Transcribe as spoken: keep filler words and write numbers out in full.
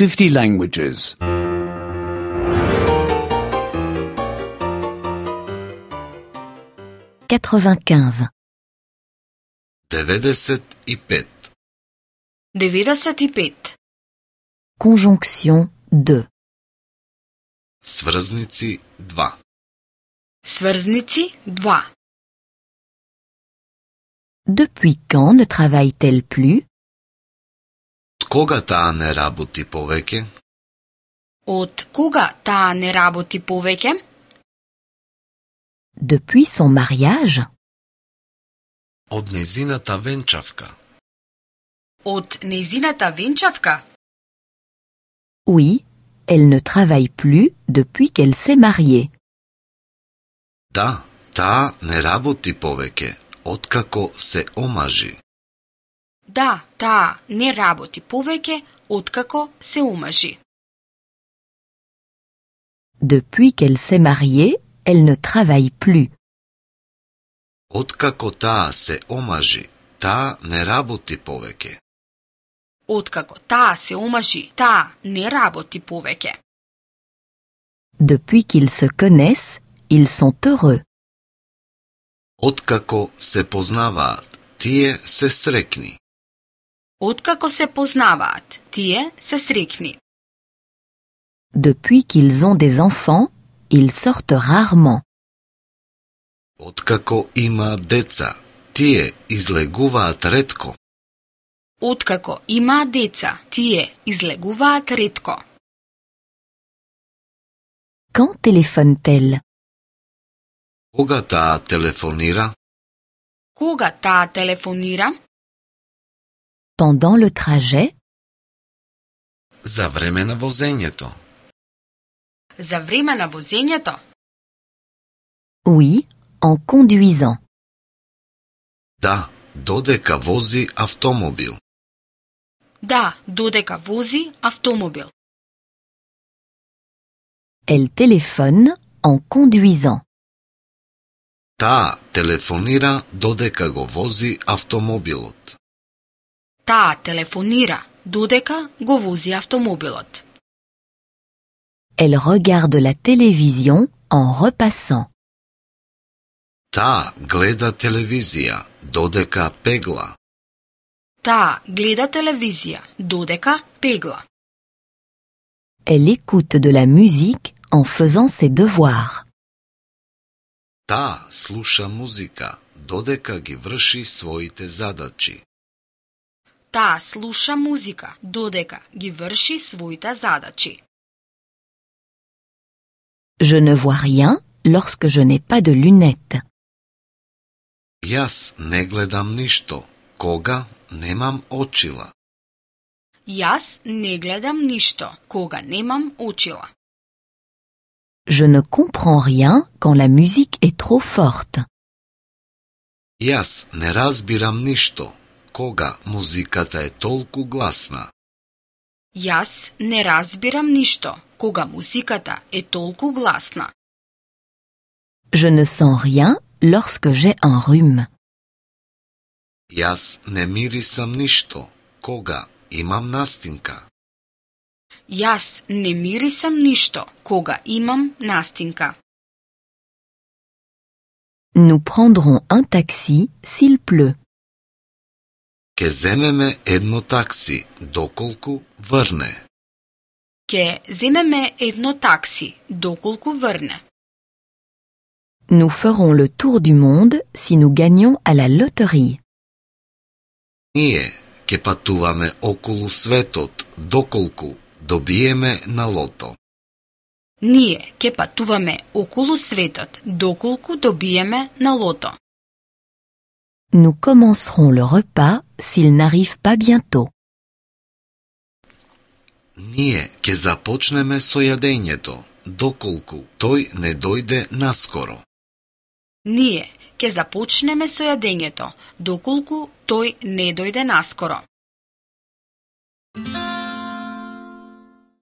fifty languages. quatre-vingt-quinze. деветдесет и пет. деветдесет и пет. Conjonction deux. Сврзници два. Сврзници два. Depuis quand ne travaille-t-elle plus? Од кога таа не работи повеќе? Од кога таа не работи повеќе? Depuis son mariage? Од незината венчавка. Од незината венчавка? Oui, elle ne travaille plus depuis qu'elle s'est mariée. Да, таа не работи повеќе, откако се омажи. Да, таа не работи повеќе откако се омажи. Depuis qu'elle s'est mariée, elle ne travaille plus. Откако таа се омажи, таа не работи повеќе. Откако таа се омажи, таа не работи повеќе. Depuis qu'ils se connaissent, ils sont heureux. Откако се познаваат, тие се срекни. Откако се познаваат, тие се срекни. Depuis qu'ils ont des enfants, ils sortent rarement. Откако има деца, тие излегуваат ретко. Откако има деца, тие излегуваат ретко. Quand téléphone-t-elle? Кога таа телефонира? Кога таа телефонира? Pendant le trajet? За време на возењето. За време на возењето? Oui, en conduisant. Да, додека вози автомобил. Да, додека вози автомобил. Elle téléphone en conduisant. Таа телефонира додека го вози автомобилот. Таа телефонира додека го вози автомобилот. Elle regarde la télévision en repassant. Таа гледа телевизија додека пегла. Таа гледа телевизија додека пегла. Elle écoute de la musique en faisant ses devoirs. Таа слуша музика додека ги врши своите задачи. Таа слуша музика додека ги врши своите задачи. Je ne vois rien lorsque je n'ai pas de lunettes. Јас не гледам ништо кога немам очила. Јас не гледам ништо кога немам очила. Je ne comprends rien quand la musique est trop forte. Јас не разбирам ништо кога музиката е толку гласна. Јас не разбирам ништо кога музиката е толку гласна. Je ne sens rien lorsque j'ai un rhume. Јас не мирисам ништо кога имам настинка. Јас не мирисам ништо кога имам настинка. Nous prendrons un taxi s'il pleut. Ке земеме едно такси доколку врне. Ке земеме едно такси доколку врне. Nous ferons le tour du monde si nous gagnons à la loterie. Ние ке патуваме околу светот доколку добиеме на лото. Ние ке патуваме околу светот доколку добиеме на лото. Nous commencerons le repas s'il n'arrive pas bientôt. Ние ке започнеме со јадењето доколку тој не дојде наскоро. Ние ке започнеме со јадењето доколку тој не дојде наскоро.